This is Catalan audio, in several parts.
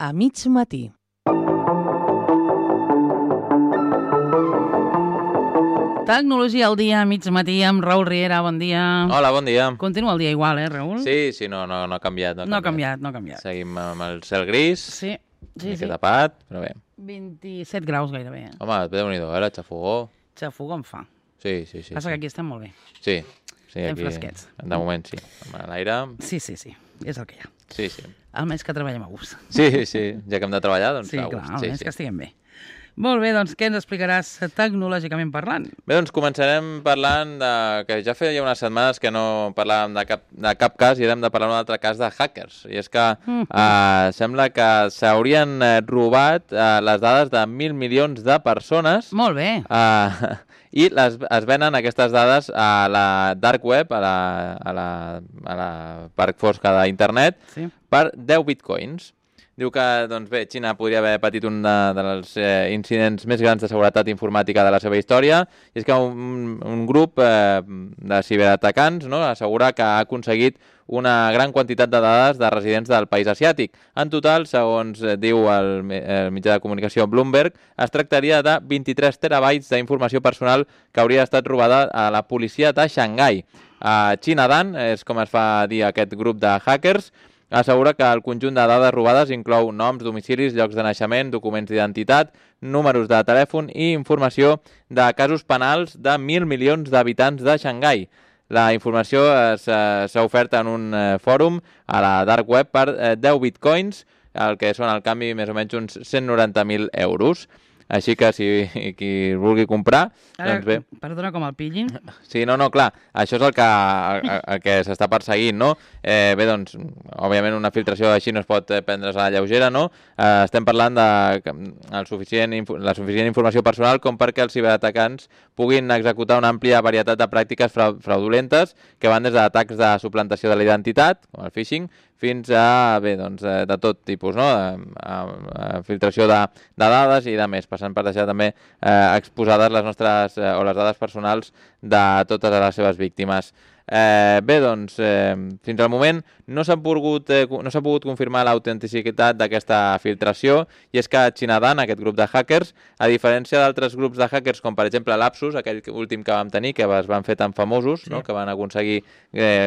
a mig matí. Tecnologia al dia, a mig matí, amb Raül Riera, bon dia. Hola, bon dia. Continua el dia igual, Raül? Sí, no ha canviat. No ha canviat. Seguim amb el cel gris, Sí. tapat, però bé. 27 graus gairebé. Home, déu-n'hi-do, la xafogó. Xafogó em fa. Sí. Passa que aquí estem molt bé. Sí, Estem aquí, fresquets. de moment sí. Amb l'aire... Sí, és el que hi ha. Sí. Almenys que treballem a gust. Sí, ja que hem de treballar, doncs Sí, a clar, gust. almenys que estiguem bé. Molt bé, doncs què ens explicaràs tecnològicament parlant? Bé, doncs començarem parlant que ja feia unes setmanes que no parlàvem de cap cas i hem de parlar d'un altre cas de hackers. I és que sembla que s'haurien robat les dades de 1.000 milions de persones. Molt bé. I es venen aquestes dades a la dark web, a la part fosca d'internet, per 10 bitcoins. Diu que, doncs bé, Xina podria haver patit un dels incidents més grans de seguretat informàtica de la seva història, i és que un grup de ciberatacants assegura que ha aconseguit una gran quantitat de dades de residents del país asiàtic. En total, segons diu el mitjà de comunicació Bloomberg, es tractaria de 23 terabytes d'informació personal que hauria estat robada a la policia de Xangai. Xinadan, és com es fa dir aquest grup de hackers, assegura que el conjunt de dades robades inclou noms, domicilis, llocs de naixement, documents d'identitat, números de telèfon i informació de casos penals de 1.000 milions d'habitants de Xangai. La informació s'ha ofert en un fòrum a la dark web per 10 bitcoins, el que són al canvi més o menys uns 190.000 euros. Així que si qui vulgui comprar, doncs bé. Perdona, com el pillin? Sí, clar, això és el que s'està perseguint, no? Bé, doncs, òbviament una filtració així no es pot prendre's a la lleugera, no? Estem parlant de la suficient informació personal com perquè els ciberatacants puguin executar una àmplia varietat de pràctiques fraudulentes que van des d'atacs de suplantació de la identitat, com el phishing, fins a, bé, doncs, de tot tipus, no? Filtració de dades i de més, passant per deixar també exposades les nostres o les dades personals de totes les seves víctimes. Bé, doncs, fins al moment no s'ha pogut confirmar l'autenticitat d'aquesta filtració, i és que Xinadan, aquest grup de hackers, a diferència d'altres grups de hackers, com per exemple l'Apsus, aquell últim que vam tenir, que es van fer tan famosos, no? Que van aconseguir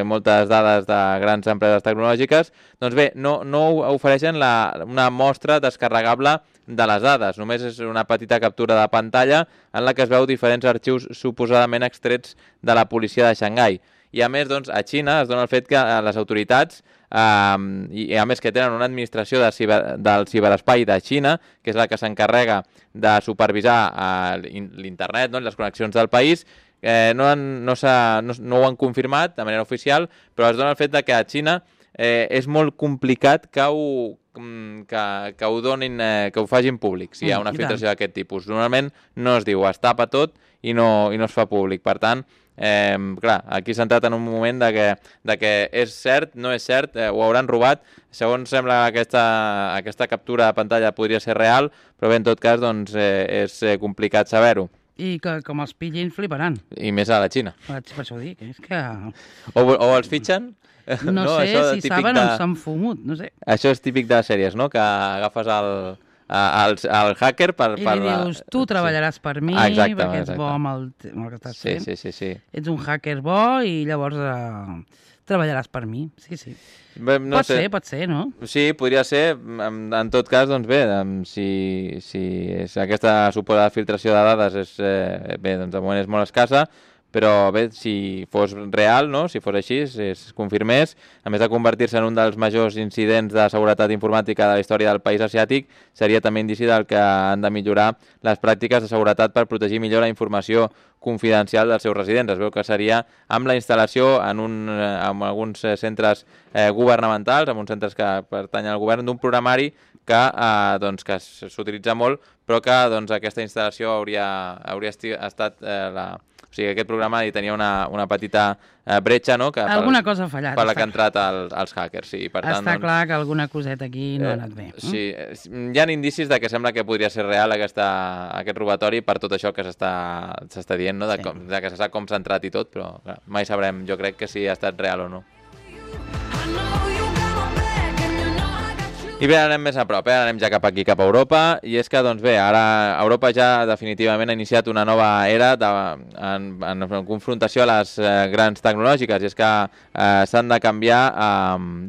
moltes dades de grans empreses tecnològiques, doncs bé, no ofereixen una mostra descarregable de les dades. Només és una petita captura de pantalla en la que es veu diferents arxius suposadament extrets de la policia de Xangai. I a més, doncs, a Xina es dona el fet que les autoritats, i a més que tenen una administració del ciberespai de Xina, que és la que s'encarrega de supervisar l'internet, les connexions del país, no ho han confirmat de manera oficial, però es dona el fet que a Xina és molt complicat que ho donin, que ho facin públic, si hi ha una filtració d'aquest tipus. Normalment no es diu, es tapa tot i no es fa públic. Per tant, clar, aquí s'ha entrat en un moment de que és cert, no és cert, ho hauran robat. Segons sembla, aquesta captura de pantalla podria ser real, però bé, en tot cas, doncs, és complicat saber-ho. I que com els pillin fliparan. I més a la Xina. Per això ho dic, és que... O els fitxen... No sé, si saben on s'han fumut, no sé. Això és típic de sèries, no? Que agafes el hacker per... I li dius, tu treballaràs per mi, perquè ets bo amb el que estàs fent. Sí. Ets un hacker bo i llavors treballaràs per mi. Sí. Pot ser, no? Sí, podria ser. En tot cas, doncs bé, si aquesta suposada filtració de dades bé, doncs de moment és molt escassa, però bé, si fos real, no? Si fos així, si es confirmés, a més de convertir-se en un dels majors incidents de seguretat informàtica de la història del país asiàtic, seria també indici del que han de millorar les pràctiques de seguretat per protegir millor la informació confidencial dels seus residents. Es veu que seria amb la instal·lació en alguns centres governamentals, en uns centres que pertanyen al govern, d'un programari que s'utilitza molt, però que aquesta instal·lació hauria estat o sigui, aquest programa tenia una petita bretxa, no? Alguna cosa ha fallat. Per la que han entrat els hackers, sí. Per tant, està clar que alguna coseta aquí no ha anat bé. Sí, hi ha indicis de que sembla que podria ser real aquest robatori per tot això que s'està dient, no? De que se sap com s'ha entrat i tot, però clar, mai sabrem, jo crec, que si ha estat real o no. I bé, anem més a prop, anem ja cap aquí, cap a Europa, i és que, doncs bé, ara Europa ja definitivament ha iniciat una nova era en confrontació a les grans tecnològiques, i és que s'han de canviar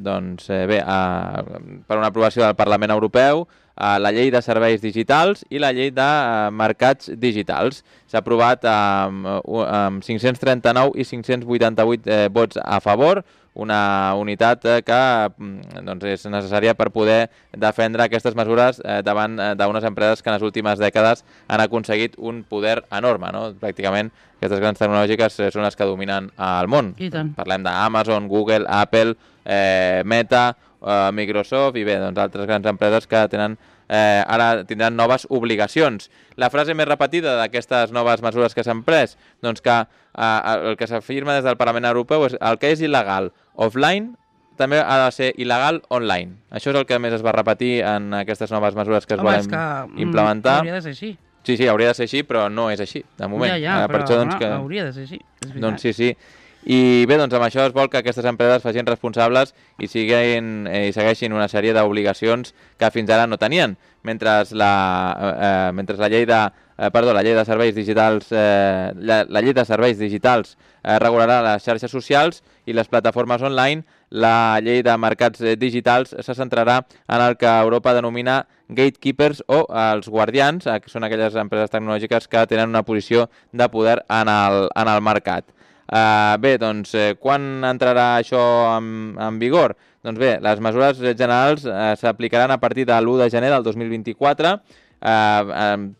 per una aprovació del Parlament Europeu la llei de serveis digitals i la llei de mercats digitals. S'ha aprovat amb 539 i 588 vots a favor, una unitat que és necessària per poder defendre aquestes mesures davant d'unes empreses que en les últimes dècades han aconseguit un poder enorme, no? Pràcticament aquestes grans tecnològiques són les que dominen el món. Parlem d'Amazon, Google, Apple, Meta, Microsoft i bé, altres grans empreses que ara tindran noves obligacions. La frase més repetida d'aquestes noves mesures que s'han pres, doncs que el que s'afirma des del Parlament Europeu és el que és il·legal offline també ha de ser il·legal online. Això és el que més es va repetir en aquestes noves mesures que es volen implementar. Hauria de ser així. Sí, hauria de ser així, però no és així, de moment. Però hauria de ser així, és veritat. Doncs sí. I bé, amb això es vol que aquestes empreses facin responsables i segueixin una sèrie d'obligacions que fins ara no tenien, mentre la llei de serveis digitals regularà les xarxes socials i les plataformes online. La llei de mercats digitals se centrarà en el que Europa denomina gatekeepers o els guardians, que són aquelles empreses tecnològiques que tenen una posició de poder en el mercat. Bé, doncs, quan entrarà això en vigor? Doncs bé, les mesures generals s'aplicaran a partir de l'1 de gener del 2024,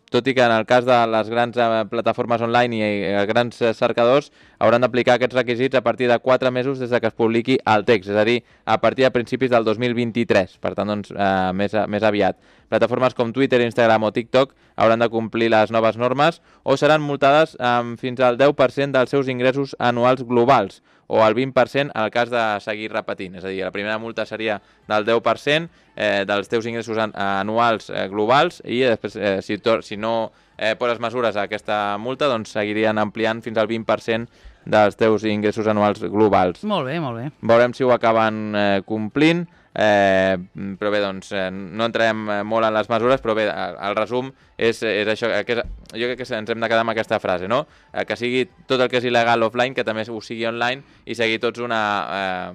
tot i que en el cas de les grans plataformes online i els grans cercadors hauran d'aplicar aquests requisits a partir de 4 mesos des que es publiqui el text, és a dir, a partir de principis del 2023, per tant, doncs, més aviat. Plataformes com Twitter, Instagram o TikTok hauran de complir les noves normes o seran multades amb fins al 10% dels seus ingressos anuals globals, o el 20% en el cas de seguir repetint. És a dir, la primera multa seria del 10% dels teus ingressos anuals globals i després, si no poses mesures a aquesta multa, doncs seguirien ampliant fins al 20% dels teus ingressos anuals globals. Molt bé, molt bé. Veurem si ho acaben complint, però bé, doncs no entrarem molt en les mesures, però bé, el resum és això, jo crec que ens hem de quedar amb aquesta frase, no? Que sigui tot el que és il·legal offline, que també ho sigui online i seguir tots una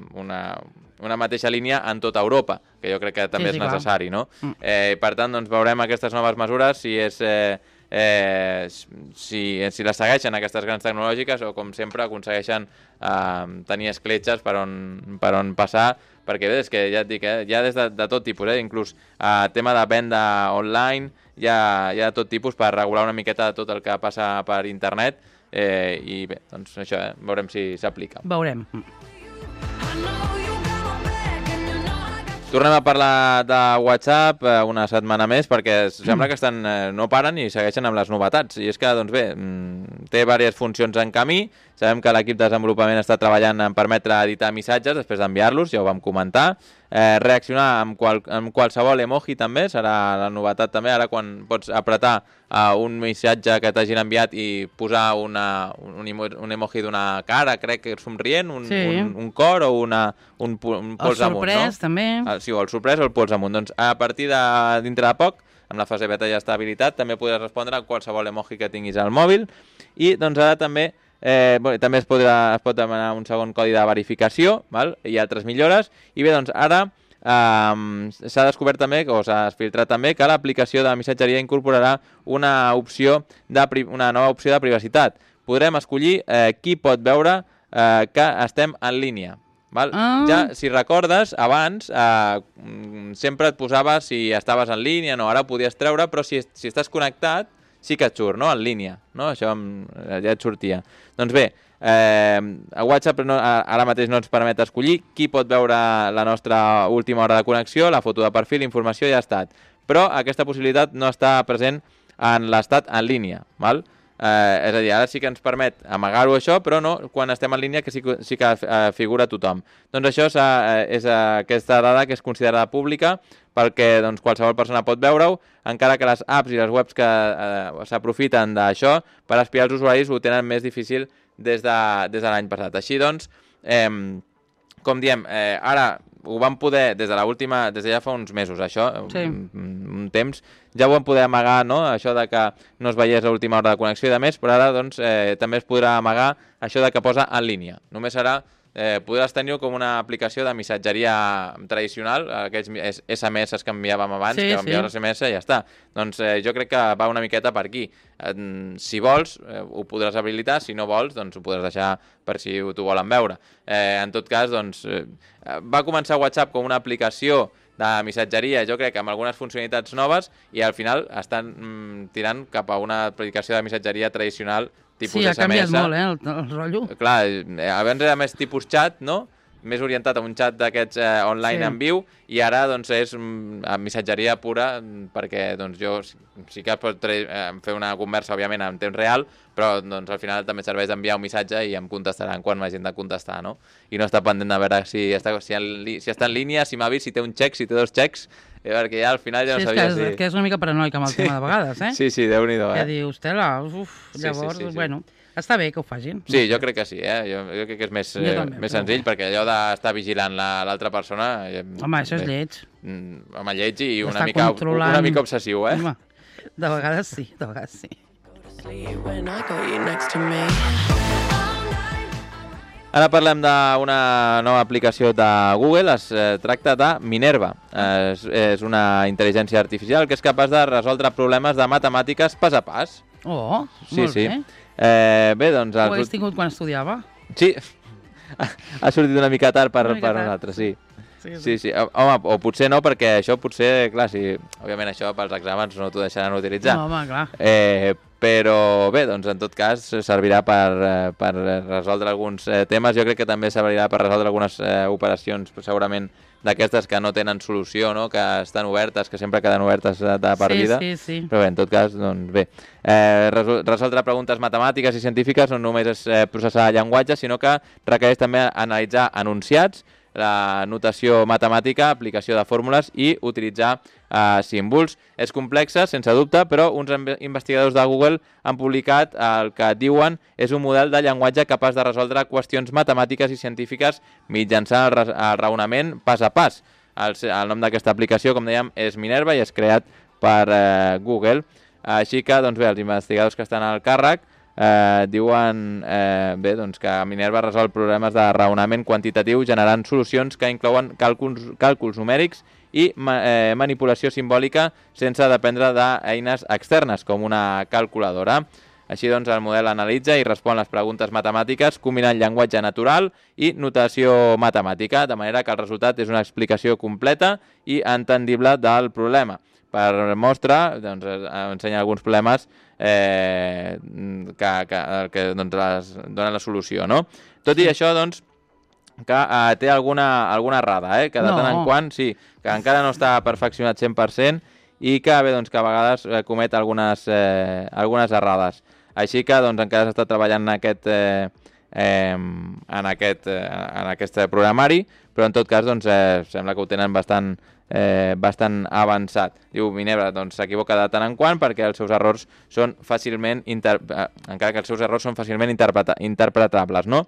mateixa línia en tota Europa, que jo crec que també és necessari, no? Per tant, doncs veurem aquestes noves mesures, si les segueixen aquestes grans tecnològiques o, com sempre, aconsegueixen tenir escletxes per on passar, perquè bé, és que ja et dic, hi ha des de tot tipus, inclús tema de venda online, hi ha tot tipus per regular una miqueta tot el que passa per internet, i bé, doncs això, veurem si s'aplica. Veurem. Tornem a parlar de WhatsApp una setmana més, perquè sembla que no paren i segueixen amb les novetats. I és que, doncs bé, té diverses funcions en camí. Sabem que l'equip de desenvolupament està treballant en permetre editar missatges després d'enviar-los, ja ho vam comentar. Reaccionar amb qualsevol emoji també, serà la novetat també, ara quan pots apretar un missatge que t'hagin enviat i posar un emoji d'una cara, crec que somrient, un cor o un pols amunt, no? El sorprès, també. Sí, o el sorprès o el pols amunt. Doncs a partir de dintre de poc, amb la fase beta ja està habilitat, també podràs respondre a qualsevol emoji que tinguis al mòbil, i doncs ara també es pot demanar un segon codi de verificació, val? I altres millores, i bé, doncs ara s'ha descobert també, o s'ha filtrat també, que l'aplicació de missatgeria incorporarà una nova opció de privacitat. Podrem escollir qui pot veure que estem en línia. Val? Ja, si recordes, abans sempre et posava si estaves en línia, no, ara ho podies treure, però si estàs connectat sí que et surt, no?, en línia, no? Això ja et sortia. Doncs bé, a WhatsApp ara mateix no ens permet escollir qui pot veure la nostra última hora de connexió, la foto de perfil, informació i estat. Però aquesta possibilitat no està present en l'estat en línia, val? És a dir, ara sí que ens permet amagar-ho això, però no quan estem en línia, que sí que figura tothom. Doncs això és aquesta dada que és considerada pública, perquè doncs, qualsevol persona pot veure-ho, encara que les apps i les webs que s'aprofiten d'això per espiar els usuaris ho tenen més difícil des de l'any passat. Així doncs, com diem, ara ho vam poder, des de ja fa uns mesos, això, un temps, ja ho vam poder amagar, no?, això de que no es veiés a l'última hora de connexió i de més, però ara doncs, també es podrà amagar això de que posa en línia. Només serà podràs tenir com una aplicació de missatgeria tradicional, aquells SMS que enviàvem abans, que enviaves SMS i ja està. Doncs jo crec que va una miqueta per aquí. Si vols, ho podràs habilitar, si no vols, doncs ho podràs deixar per si t'ho volen veure. En tot cas, doncs, va començar WhatsApp com una aplicació de missatgeria, jo crec, amb algunes funcionalitats noves, i al final estan tirant cap a una aplicació de missatgeria tradicional tipus SMS. Sí, ha canviat molt, el rotllo. Clar, abans era més tipus xat, no?, més orientat a un xat d'aquests online en viu, i ara doncs és missatgeria pura, perquè doncs jo sí que pot fer una conversa, òbviament, en temps real, però doncs al final també serveix d'enviar un missatge i em contestaran quan m'hagin de contestar, no? I no està pendent de veure si està en línia, si m'ha vist, si té un xec, si té dos xecs, perquè ja al final ja no sabia si... Sí, és que és una mica paranoica amb el tema de vegades, eh? Sí, Déu-n'hi-do, Que dius, tela, llavors, bueno... Està bé que ho facin. Sí, jo crec que sí, jo crec que és més senzill, perquè allò d'estar vigilant l'altra persona... Home, això és lleig. Home, lleig i una mica obsessiu, eh? Home, de vegades sí, Ara parlem d'una nova aplicació de Google, es tracta de Minerva. És una intel·ligència artificial que és capaç de resoldre problemes de matemàtiques pas a pas. Oh, molt bé. Bé, doncs... Ho hagués tingut quan estudiava? Sí, ha sortit una mica tard per nosaltres, sí. Sí. Home, o potser no, perquè això potser, clar, òbviament això pels exàmens no t'ho deixaran utilitzar. No, home, clar. Però bé, doncs en tot cas servirà per resoldre alguns temes. Jo crec que també servirà per resoldre algunes operacions, segurament, d'aquestes que no tenen solució, no?, que estan obertes, que sempre queden obertes de per vida. Sí. Però bé, en tot cas, doncs bé. Resoldre preguntes matemàtiques i científiques no només és processar llenguatge, sinó que requereix també analitzar enunciats, la notació matemàtica, aplicació de fórmules i utilitzar símbols. És complexa, sense dubte, però uns investigadors de Google han publicat el que diuen és un model de llenguatge capaç de resoldre qüestions matemàtiques i científiques mitjançant el raonament pas a pas. El nom d'aquesta aplicació, com dèiem, és Minerva i és creat per Google. Així que, doncs bé, els investigadors que estan al càrrec diuen doncs que Minerva resol problemes de raonament quantitatiu generant solucions que inclouen càlculs numèrics i manipulació simbòlica sense dependre d'eines externes, com una calculadora. Així doncs, el model analitza i respon les preguntes matemàtiques combinant llenguatge natural i notació matemàtica, de manera que el resultat és una explicació completa i entendible del problema. Per mostra, doncs, ensenya alguns problemes que doncs, donen la solució, no? Tot i això, doncs, que té alguna errada, que de tant en quant, sí, que encara no està perfeccionat 100% i que, bé, doncs, que a vegades comet algunes errades. Així que, doncs, encara s'està treballant en aquest programari, però en tot cas, doncs, sembla que ho tenen bastant avançat. Diu Minerva, doncs s'equivoca de tant en quant perquè els seus errors són fàcilment encara que els seus errors són fàcilment interpretables, no?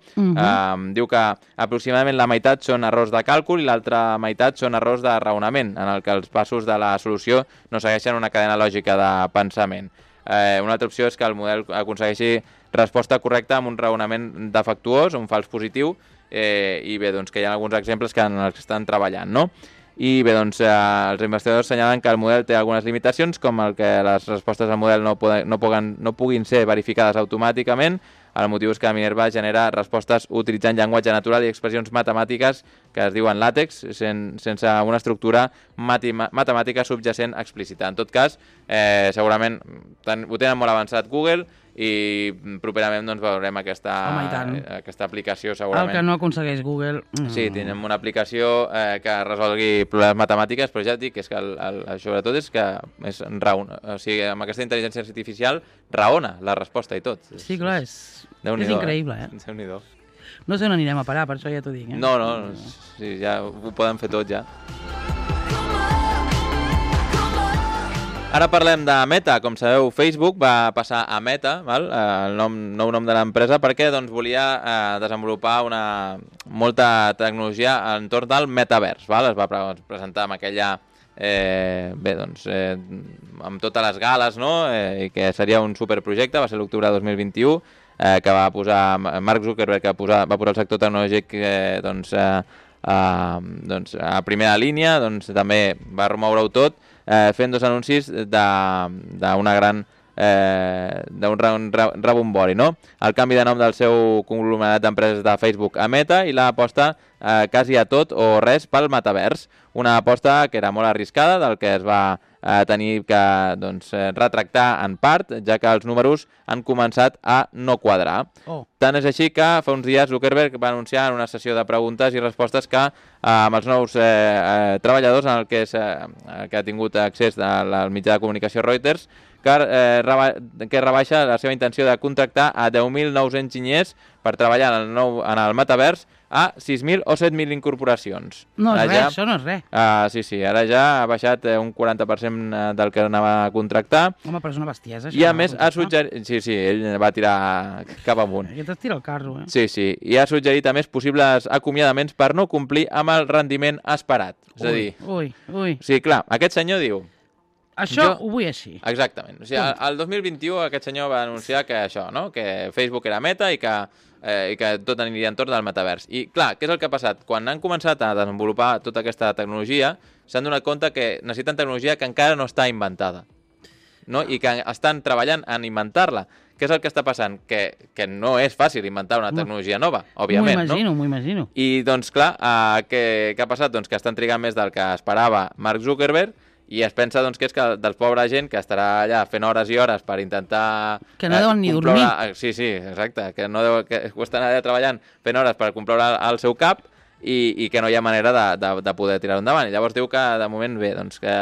Diu que aproximadament la meitat són errors de càlcul i l'altra meitat són errors de raonament, en el que els passos de la solució no segueixen una cadena lògica de pensament. Una altra opció és que el model aconsegueixi resposta correcta amb un raonament defectuós, un fals positiu, i bé, doncs que hi ha alguns exemples en els que estan treballant, no? I bé, doncs els investigadors assenyalen que el model té algunes limitacions, com el que les respostes al model no puguin ser verificades automàticament. El motiu és que Minerva genera respostes utilitzant llenguatge natural i expressions matemàtiques que es diuen làtex, sense una estructura matemàtica subjacent explícita. En tot cas, segurament ho tenen molt avançat Google i properament doncs, veurem aquesta aplicació segurament. El que no aconsegueix Google... Sí, tenim una aplicació que resolgui problemes matemàtics, però ja et dic que sobretot és que amb aquesta intel·ligència artificial raona la resposta i tot. Sí, clar, és increïble, Déu-n'hi-do. No sé on anirem a parar, per això ja t'ho dic. No, sí, ja ho poden fer tot, ja. Ara parlem de Meta. Com sabeu, Facebook va passar a Meta, val? El nou nom de l'empresa, perquè doncs, volia desenvolupar molta tecnologia entorn del metavers. Val? Es va presentar amb aquella... amb totes les gales, no? I que seria un superprojecte, va ser l'octubre de 2021, que va posar Mark Zuckerberg, que va posar el sector tecnològic a primera línia, doncs també va remoure-ho tot, fent dos anuncis d'un rebombori, no? El canvi de nom del seu conglomerat d'empreses de Facebook a Meta i l'aposta quasi a tot o res pel metavers. Una aposta que era molt arriscada, del que es va tenir que retractar en part, ja que els números han començat a no quadrar. Tant és així que fa uns dies Zuckerberg va anunciar en una sessió de preguntes i respostes que amb els nous treballadors en el que ha tingut accés al mitjà de comunicació Reuters, que rebaixa la seva intenció de contractar a 10.000 nous enginyers per treballar en el metavers a 6.000 o 7.000 incorporacions. No és res, això no és res. Sí, ara ja ha baixat un 40% del que anava a contractar. Home, però és una bestiesa, això. I a més ha suggerit... Sí, ell va tirar cap amunt. Aquest es tira el carro, Sí. I ha suggerit a més possibles acomiadaments per no complir amb el rendiment esperat. És a dir... Ui. Sí, clar, aquest senyor diu... Això ho vull així. Exactament. O sigui, el 2021 aquest senyor va anunciar que això, no? Que Facebook era Meta i que tot aniria entorn del metavers. I clar, què és el que ha passat? Quan han començat a desenvolupar tota aquesta tecnologia, s'han donat compte que necessiten tecnologia que encara no està inventada, no? I que estan treballant en inventar-la. Què és el que està passant? Que no és fàcil inventar una tecnologia nova, òbviament, no? M'ho imagino. I doncs clar, què ha passat? Doncs que estan trigant més del que esperava Mark Zuckerberg, i es pensa doncs, que és que del pobre gent que estarà allà fent hores i hores per intentar... Que no deuen ni dormir. Sí, exacte, que ho estan allà treballant fent hores per comprar el seu cap i que no hi ha manera de poder tirar-ho endavant. I llavors diu que de moment bé, doncs que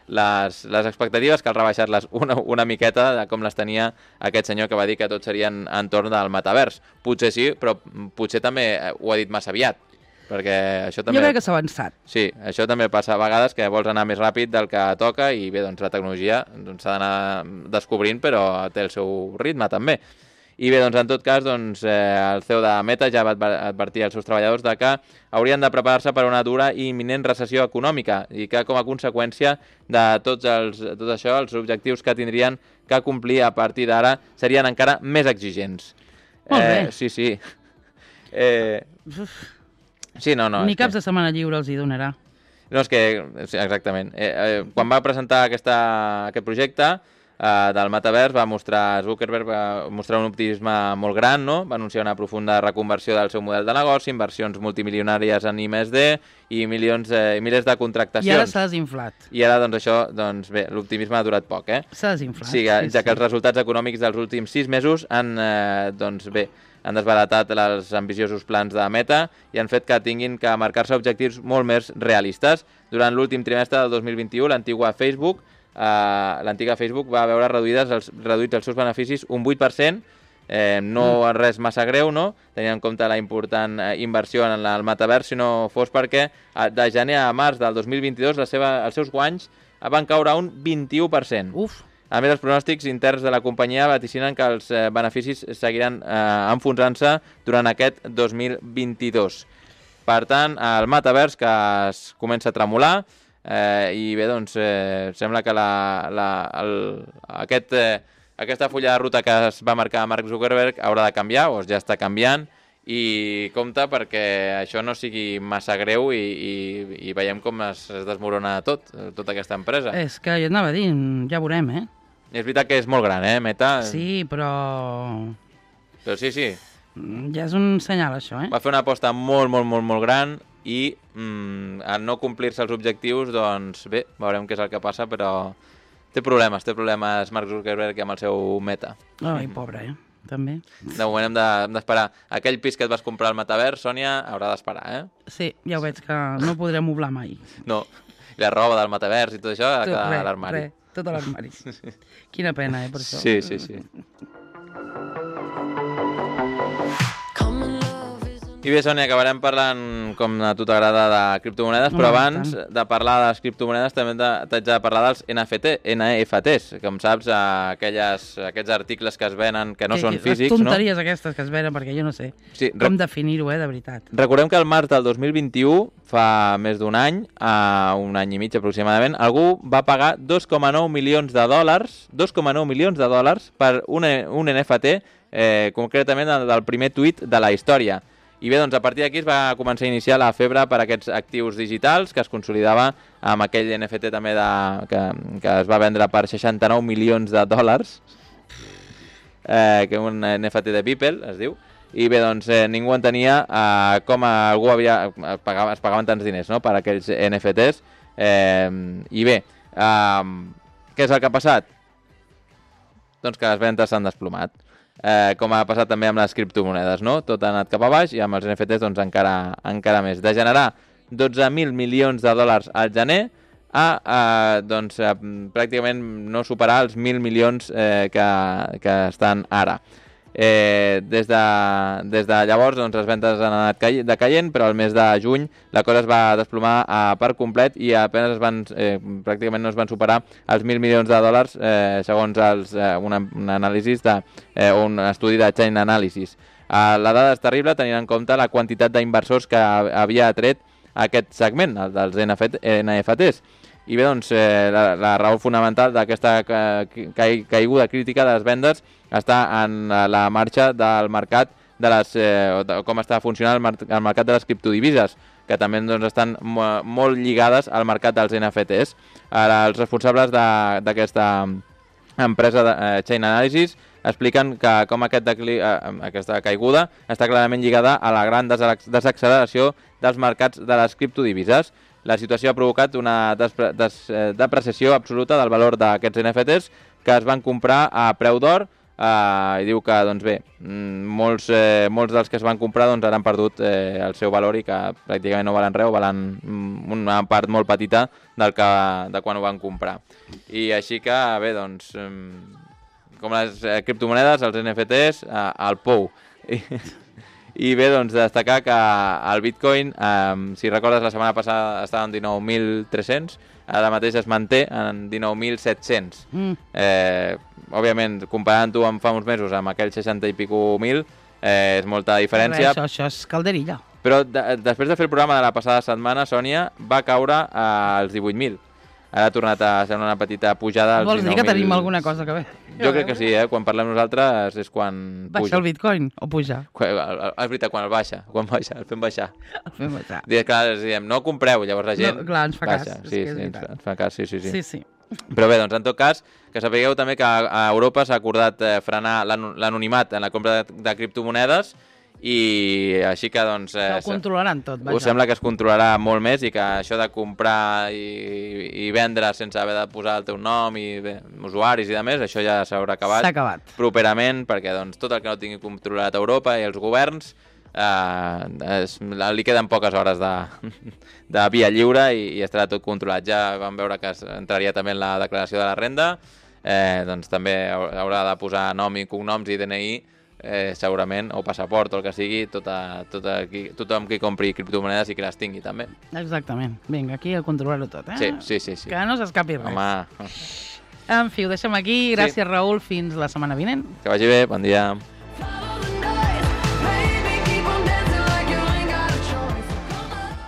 les expectatives cal rebaixar-les una miqueta de com les tenia aquest senyor que va dir que tot serien entorn del metavers. Potser sí, però potser també ho ha dit massa aviat. Perquè això també... Jo crec que s'ha avançat. Sí, això també passa a vegades, que vols anar més ràpid del que toca i bé, doncs la tecnologia s'ha d'anar descobrint, però té el seu ritme també. I bé, doncs en tot cas, doncs, el CEO de Meta ja va advertir als seus treballadors de que haurien de preparar-se per a una dura i imminent recessió econòmica i que com a conseqüència de tot això, els objectius que tindrien que complir a partir d'ara serien encara més exigents. Molt bé. Sí. Sí, no. Ni caps de setmana lliure els hi donarà. No, és que... Sí, exactament. Quan va presentar aquest projecte del metavers, Zuckerberg va mostrar un optimisme molt gran, no? Va anunciar una profunda reconversió del seu model de negoci, inversions multimilionàries en I+D i milers de contractacions. I ara s'ha desinflat. I ara, doncs, això, doncs, bé, l'optimisme ha durat poc, S'ha desinflat. Sí, ja que els resultats econòmics dels últims 6 mesos han desbaratat els ambiciosos plans de Meta i han fet que tinguin que marcar-se objectius molt més realistes. Durant l'últim trimestre del 2021, l'antiga Facebook va veure reduïts els seus beneficis un 8%, no res massa greu, no? Tenint en compte la important inversió en el metavers, si no fos perquè de gener a març del 2022 els seus guanys van caure un 21%. A més, els pronòstics interns de la companyia vaticinen que els beneficis seguiran enfonsant-se durant aquest 2022. Per tant, el metavers que es comença a tremolar i bé, doncs, sembla que aquesta fulla de ruta que es va marcar Mark Zuckerberg haurà de canviar, o ja està canviant, i compte perquè això no sigui massa greu i veiem com es desmorona tota aquesta empresa. És que jo anava a dir, ja veurem, És veritat que és molt gran, Meta? Sí, però... Però sí. Ja és un senyal, això, Va fer una aposta molt gran i al no complir-se els objectius, doncs bé, veurem què és el que passa, però té problemes Mark Zuckerberg amb el seu Meta. Ai, pobre, també. De moment hem d'esperar. Aquell pis que et vas comprar al metavers, Sònia, haurà d'esperar, Sí, ja ho veig que no podré moblar mai. No, i la roba del metavers i tot això ha de quedar a l'armari. Tot a l'armari. Quina pena, per això. Sí. I bé, Sònia, acabarem parlant, com a tu t'agrada, de criptomonedes, però abans de parlar de les criptomonedes també t'haig de parlar dels NFTs, com saps, aquests articles que es venen, que no són físics, no? Les tonteries aquestes que es venen, perquè jo no sé com definir-ho, de veritat. Recordem que al març del 2021, fa més d'un any i mig aproximadament, algú va pagar 2,9 milions de dòlars per un NFT, concretament del primer tuit de la història. I bé, doncs a partir d'aquí es va començar a iniciar la febre per aquests actius digitals, que es consolidava amb aquell NFT també que es va vendre per 69 milions de dòlars, que un NFT de Beeple, es diu. I bé, doncs ningú entenia com algú es pagaven tants diners, no?, per aquells NFTs. I bé, què és el que ha passat? Doncs que les ventes s'han desplomat. Com ha passat també amb les criptomonedes, no? Tot ha anat cap a baix i amb els NFTs doncs encara més. De generar 12.000 milions de dòlars al gener doncs, pràcticament no superar els 1.000 milions que estan ara. Des de llavors doncs, les ventes han anat decaient, però al mes de juny la cosa es va desplomar per complet i apenas pràcticament no es van superar els 1.000 milions de dòlars segons un anàlisi un estudi de Chain Analysis. La dada és terrible tenint en compte la quantitat d'inversors que havia atret aquest segment, el dels NFTs. I bé, doncs, la raó fonamental d'aquesta caiguda crítica de les vendes està en la marxa del mercat com està funcionant el mercat de les criptodivises, que també doncs, estan molt lligades al mercat dels NFTs. Els responsables d'aquesta empresa de Chain Analysis expliquen que com aquesta caiguda està clarament lligada a la gran desacceleració dels mercats de les criptodivises. La situació ha provocat una depreciació absoluta del valor d'aquests NFTs que es van comprar a preu d'or i diu que doncs bé, molts dels que es van comprar doncs, han perdut el seu valor i que pràcticament no valen res o valen una part molt petita de quan ho van comprar. I així que bé, doncs, com les criptomonedes, els NFTs, al pou. I bé, doncs, destacar que el Bitcoin, si recordes, la setmana passada estava en 19.300, ara mateix es manté en 19.700. Òbviament, comparant-ho amb fa uns mesos amb aquells 60 i pico mil, és molta diferència. Això és calderilla. Però després de fer el programa de la passada setmana, Sònia, va caure als 18.000. Ara ha tornat a ser una petita pujada als 19.000. Vols dir que tenim alguna cosa que veure? Jo crec que sí, quan parlem nosaltres és quan puja. Baixa el Bitcoin o puja? És veritat, quan el baixa, el fem baixar. El fem baixar. Clar, diem, no compreu, llavors la gent clar, ens fa baixa. cas. Sí, ens fa cas, sí. Sí. Però bé, doncs en tot cas, que sapigueu també que a Europa s'ha acordat frenar l'anonimat en la compra de criptomonedes i així que doncs... Ho controlaran tot, vaja. Us sembla que es controlarà molt més i que això de comprar i vendre sense haver de posar el teu nom i usuaris i demés, això ja s'haurà acabat. S'ha acabat. Properament, perquè doncs, tot el que no tingui controlat Europa i els governs li queden poques hores de via lliure i estarà tot controlat. Ja vam veure que entraria també en la declaració de la renda, doncs també haurà de posar nom i cognoms i DNI, segurament, o passaport o el que sigui, tothom qui compri criptomonedes i que les tingui també. Exactament. Vinga, aquí a controlar-ho tot, Sí. Que no s'escapi res. Home. En fi, ho deixem aquí. Gràcies, Raül. Fins la setmana vinent. Que vagi bé, bon dia.